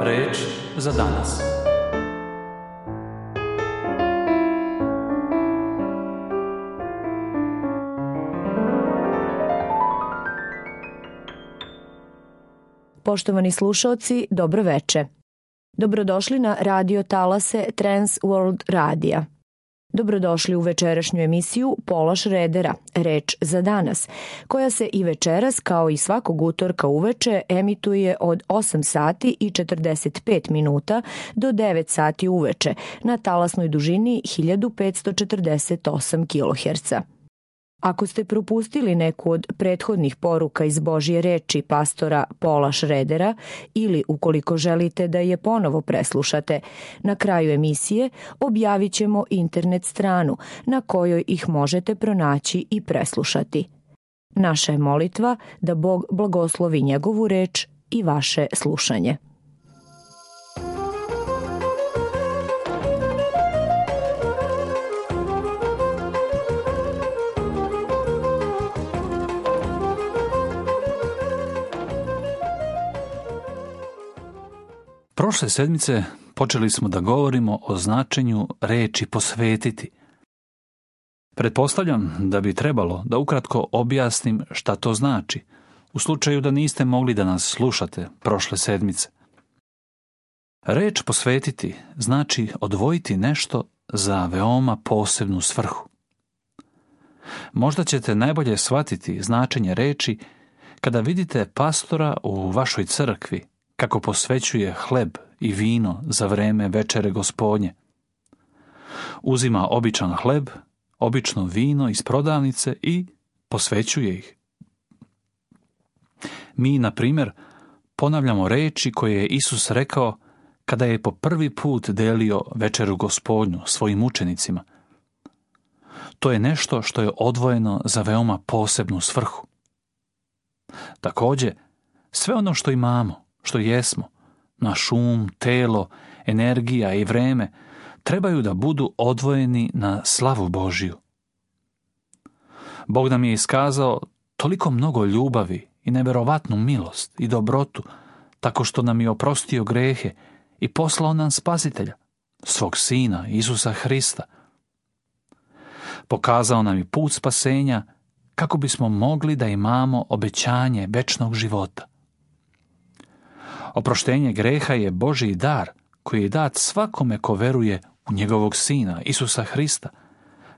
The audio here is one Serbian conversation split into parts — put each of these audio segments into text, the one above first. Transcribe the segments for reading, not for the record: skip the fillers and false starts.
Reč za danas. Poštovani slušaoci, dobro veče. Dobrodošli na radio talase Trans World Radija. Dobrodošli u večerašnju emisiju Pola Šredera, Reč za danas, koja se i večeras, kao i svakog utorka uveče, emituje od 8 sati i 45 minuta do 9 sati uveče na talasnoj dužini 1548 kHz. Ako ste propustili neku od prethodnih poruka iz Božje reči pastora Pola Šredera ili ukoliko želite da je ponovo preslušate, na kraju emisije objavit ćemo internet stranu na kojoj ih možete pronaći i preslušati. Naša je molitva da Bog blagoslovi njegovu reč i vaše slušanje. Prošle sedmice počeli smo da govorimo o značenju reči posvetiti. Pretpostavljam da bi trebalo da ukratko objasnim šta to znači, u slučaju da niste mogli da nas slušate prošle sedmice. Reč posvetiti znači odvojiti nešto za veoma posebnu svrhu. Možda ćete najbolje shvatiti značenje reči kada vidite pastora u vašoj crkvi kako posvećuje hleb i vino za vreme večere Gospodnje. Uzima običan hleb, obično vino iz prodavnice i posvećuje ih. Mi, na primjer, ponavljamo reči koje je Isus rekao kada je po prvi put delio večeru Gospodnju svojim učenicima. To je nešto što je odvojeno za veoma posebnu svrhu. Također, sve ono što imamo, što jesmo, naš um, telo, energija i vreme, trebaju da budu odvojeni na slavu Božiju. Bog nam je iskazao toliko mnogo ljubavi i neverovatnu milost i dobrotu, tako što nam je oprostio grehe i poslao nam Spasitelja, svog Sina, Isusa Hrista. Pokazao nam je put spasenja kako bismo mogli da imamo obećanje večnog života. Oproštenje greha je Božji dar koji je dat svakome ko veruje u njegovog Sina, Isusa Hrista,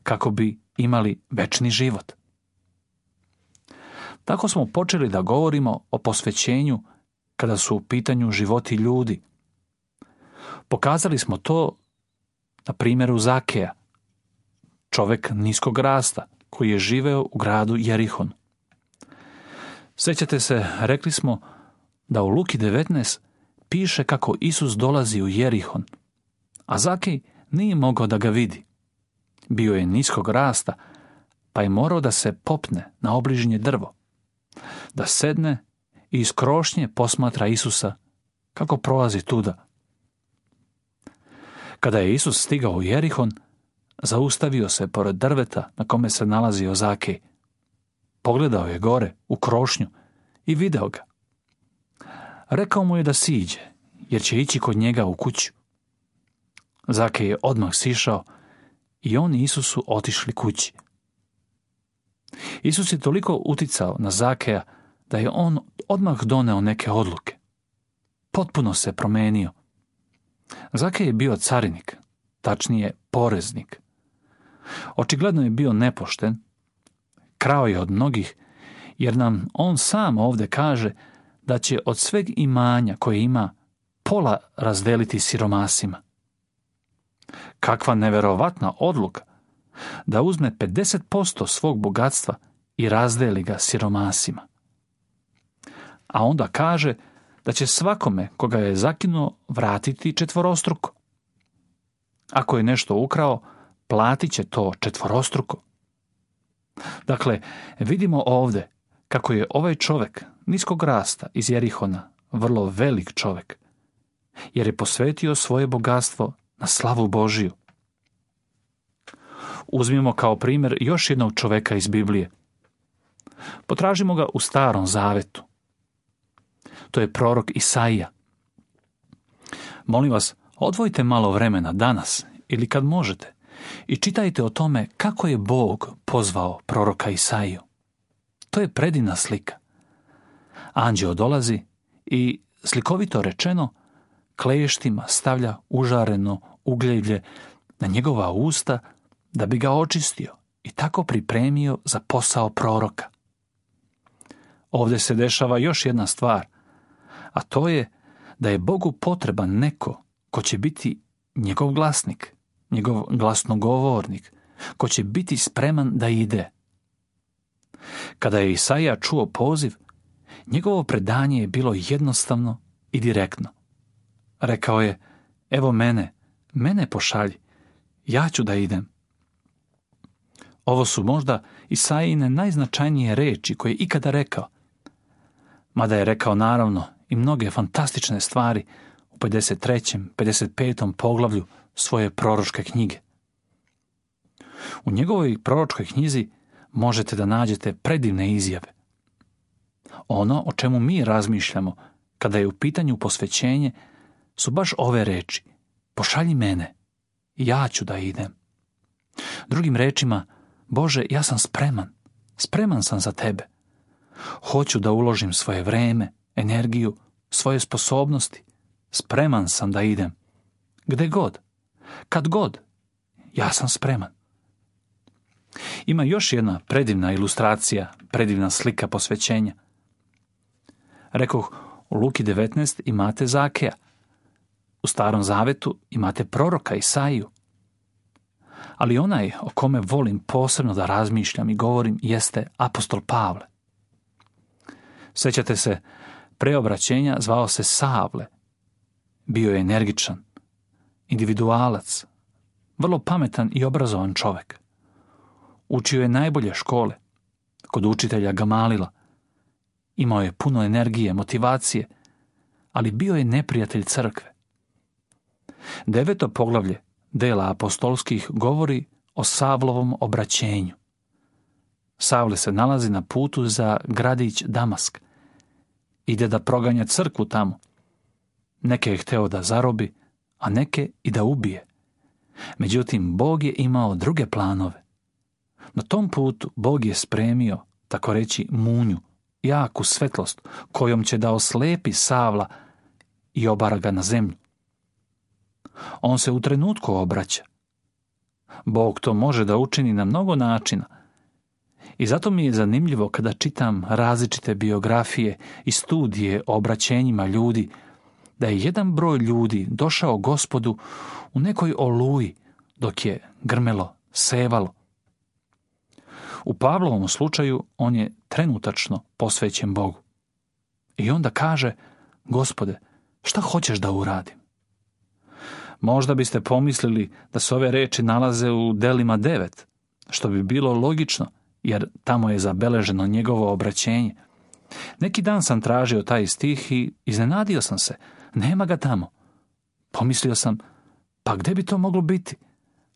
kako bi imali večni život. Tako smo počeli da govorimo o posvećenju kada su u pitanju životi ljudi. Pokazali smo to na primjeru Zakeja, čovjek niskog rasta koji je živeo u gradu Jerihon. Sjećate se, rekli smo da u Luki 19 piše kako Isus dolazi u Jerihon, a Zakej nije mogao da ga vidi. Bio je niskog rasta, pa je morao da se popne na obližnje drvo, da sedne i iz krošnje posmatra Isusa kako prolazi tuda. Kada je Isus stigao u Jerihon, zaustavio se pored drveta na kome se nalazio Zakej. Pogledao je gore u krošnju i video ga. Rekao mu je da siđe, jer će ići kod njega u kuću. Zakej je odmah sišao i on i Isus su otišli kući. Isus je toliko uticao na Zakeja da je on odmah doneo neke odluke. Potpuno se promenio. Zakej je bio carinik, tačnije poreznik. Očigledno je bio nepošten, krao je od mnogih, jer nam on sam ovdje kaže da će od sveg imanja koje ima pola razdeliti siromasima. Kakva neverovatna odluka da uzme 50% svog bogatstva i razdeli ga siromasima. A onda kaže da će svakome koga je zakinuo vratiti četvorostruko. Ako je nešto ukrao, platit će to četvorostruko. Dakle, vidimo ovdje kako je ovaj čovjek niskog rasta iz Jerihona vrlo velik čovjek, jer je posvetio svoje bogatstvo na slavu Božiju. Uzmimo kao primjer još jednog čovjeka iz Biblije. Potražimo ga u Starom Zavetu. To je prorok Isaija. Molim vas, odvojite malo vremena danas ili kad možete i čitajte o tome kako je Bog pozvao proroka Isaiju. To je predivna slika. Anđeo dolazi i, slikovito rečeno, kleštima stavlja užareno ugljelje na njegova usta da bi ga očistio i tako pripremio za posao proroka. Ovdje se dešava još jedna stvar, a to je da je Bogu potreban neko ko će biti njegov glasnik, njegov glasnogovornik, ko će biti spreman da ide. Kada je Isaija čuo poziv, njegovo predanje je bilo jednostavno i direktno. Rekao je, evo mene pošalji, ja ću da idem. Ovo su možda Isaijine najznačajnije reči koje je ikada rekao, mada je rekao naravno i mnoge fantastične stvari u 53. 55. poglavlju svoje proročke knjige. U njegovoj proročkoj knjizi možete da nađete predivne izjave. Ono o čemu mi razmišljamo kada je u pitanju posvećenje su baš ove reči: pošalji mene, ja ću da idem. Drugim rečima, Bože, ja sam spreman sam za tebe. Hoću da uložim svoje vreme, energiju, svoje sposobnosti. Spreman sam da idem. Gde god, kad god, ja sam spreman. Ima još jedna predivna ilustracija, predivna slika posvećenja. Rekoh, u Luki 19 imate Zakeja. U Starom Zavetu imate proroka Isaiju. Ali onaj o kome volim posebno da razmišljam i govorim jeste apostol Pavle. Sjećate se, pre obraćenja zvao se Savle. Bio je energičan, individualac, vrlo pametan i obrazovan čovjek. Učio je najbolje škole, kod učitelja Gamalila. Imao je puno energije, motivacije, ali bio je neprijatelj crkve. 9. poglavlje dela apostolskih govori o Savlovom obraćenju. Savle se nalazi na putu za gradić Damask. Ide da proganja crkvu tamo. Neke je hteo da zarobi, a neke i da ubije. Međutim, Bog je imao druge planove. Na tom putu Bog je spremio, tako reći, munju, jaku svetlost, kojom će da oslepi Savla i obara ga na zemlju. On se u trenutku obraća. Bog to može da učini na mnogo načina. I zato mi je zanimljivo kada čitam različite biografije i studije o obraćenjima ljudi, da je jedan broj ljudi došao Gospodu u nekoj oluji dok je grmelo, sevalo. U Pavlovom slučaju on je trenutačno posvećen Bogu. I onda kaže, Gospode, šta hoćeš da uradim? Možda biste pomislili da se ove reči nalaze u Delima 9, što bi bilo logično, jer tamo je zabeleženo njegovo obraćenje. Neki dan sam tražio taj stih i iznenadio sam se. Nema ga tamo. Pomislio sam, pa gde bi to moglo biti?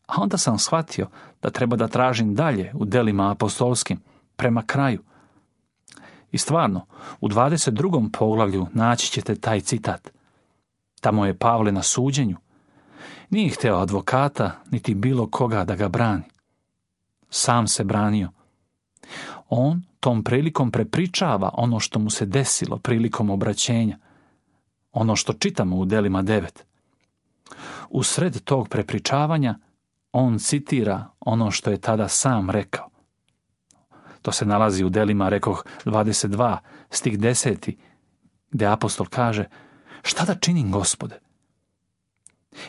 A onda sam shvatio da treba da tražim dalje u Delima apostolskim, prema kraju. I stvarno, u 22. poglavlju naći ćete taj citat. Tamo je Pavle na suđenju. Nije hteo advokata, niti bilo koga da ga brani. Sam se branio. On tom prilikom prepričava ono što mu se desilo prilikom obraćenja. Ono što čitamo u Delima 9. U sred tog prepričavanja on citira ono što je tada sam rekao. To se nalazi u Delima, rekoh, 22, stih 10, gdje apostol kaže, šta da činim, Gospode?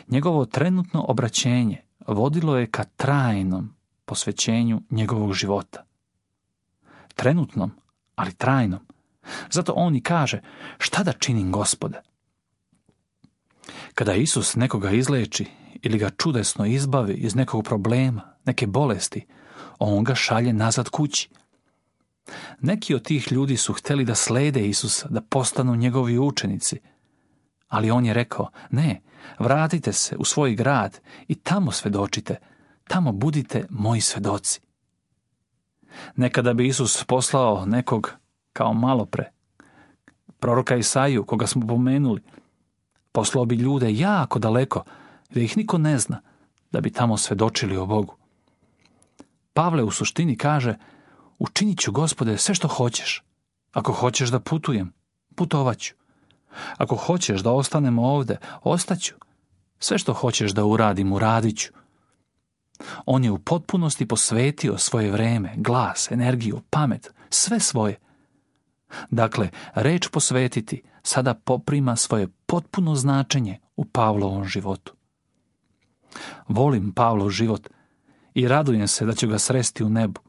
Njegovo trenutno obraćenje vodilo je ka trajnom posvećenju njegovog života. Trenutnom, ali trajnom. Zato on i kaže, šta da činim, Gospode? Kada Isus nekoga izleči ili ga čudesno izbavi iz nekog problema, neke bolesti, on ga šalje nazad kući. Neki od tih ljudi su htjeli da slede Isusa, da postanu njegovi učenici, ali on je rekao, ne, vratite se u svoj grad i tamo svedočite, tamo budite moji svedoci. Nekada bi Isus poslao nekog kao malopre, proroka Isaiju, koga smo pomenuli, Poslao bi ljude jako daleko, gdje ih niko ne zna, da bi tamo svedočili o Bogu. Pavle u suštini kaže: učinit ću, Gospode, sve što hoćeš. Ako hoćeš da putujem, putovaću. Ako hoćeš da ostanem ovde, ostaću. Sve što hoćeš da uradim, uradit ću. On je u potpunosti posvetio svoje vreme, glas, energiju, pamet, sve svoje. Dakle, reč posvetiti sada poprima svoje potpuno značenje u Pavlovom životu. Volim Pavlov život i radujem se da ću ga sresti u nebu.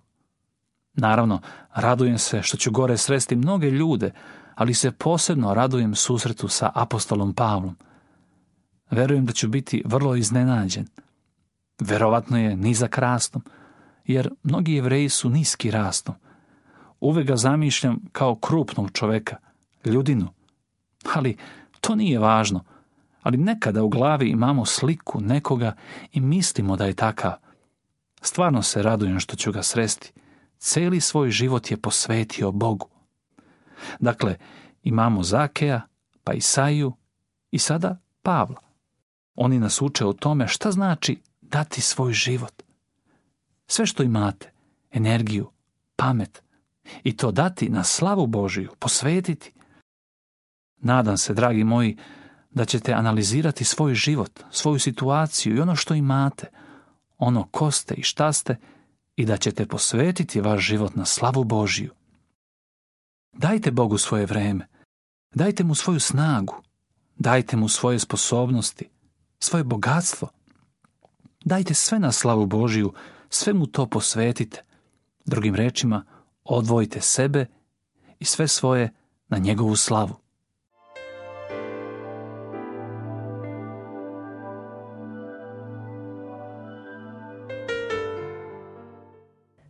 Naravno, radujem se što ću gore sresti mnoge ljude, ali se posebno radujem susretu sa apostolom Pavlom. Verujem da ću biti vrlo iznenađen. Verovatno je nizak rastom, jer mnogi Jevreji su niski rastom. Uvek ga zamišljam kao krupnog čoveka, ljudinu. Ali to nije važno. Ali nekada u glavi imamo sliku nekoga i mislimo da je takav. Stvarno se radujem što ću ga sresti. Cijeli svoj život je posvetio Bogu. Dakle, imamo Zakeja, pa Isaiju i sada Pavla. Oni nas uče o tome šta znači dati svoj život. Sve što imate, energiju, pamet, i to dati na slavu Božiju, posvetiti. Nadam se, dragi moji, da ćete analizirati svoj život, svoju situaciju i ono što imate, ono ko ste i šta ste, i da ćete posvetiti vaš život na slavu Božiju. Dajte Bogu svoje vreme, dajte mu svoju snagu, dajte mu svoje sposobnosti, svoje bogatstvo. Dajte sve na slavu Božiju, sve mu to posvetite. Drugim rečima, odvojite sebe i sve svoje na njegovu slavu.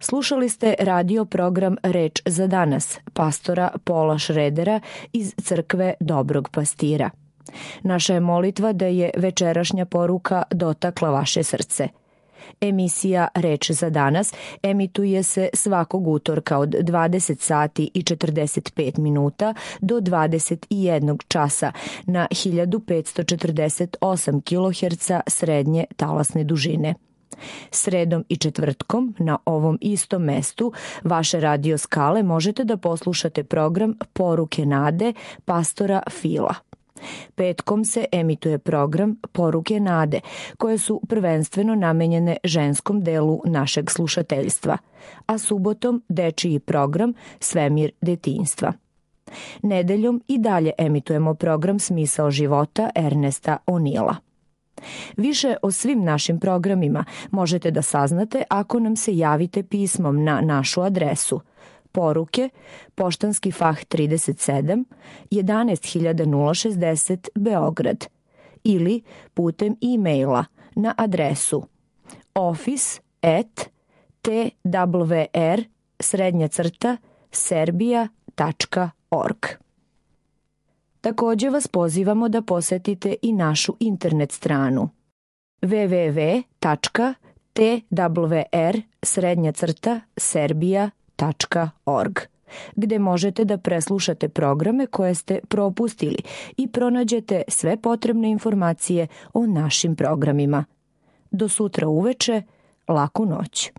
Slušali ste radio program Reč za danas, pastora Paula Schroedera iz crkve Dobrog pastira. Naša je molitva da je večerašnja poruka dotakla vaše srce. Emisija Reč za danas emituje se svakog utorka od 20 sati i 45 minuta do 21 časa na 1548 kHz srednje talasne dužine. Sredom i četvrtkom na ovom istom mestu vaše radio skale možete da poslušate program Poruke nade pastora Fila. Petkom se emituje program Poruke nade, koje su prvenstveno namenjene ženskom delu našeg slušateljstva, a subotom dečiji program Svemir detinjstva. Nedeljom i dalje emitujemo program Smisao života Ernesta O'Neila. Više o svim našim programima možete da saznate ako nam se javite pismom na našu adresu Poruke, Poštanski fah 37, 11060 Beograd, ili putem e-maila na adresu office@twr-serbia.org. Također vas pozivamo da posetite i našu internet stranu www.twr-serbia.org, gde možete da preslušate programe koje ste propustili i pronađete sve potrebne informacije o našim programima. Do sutra uveče, laku noć.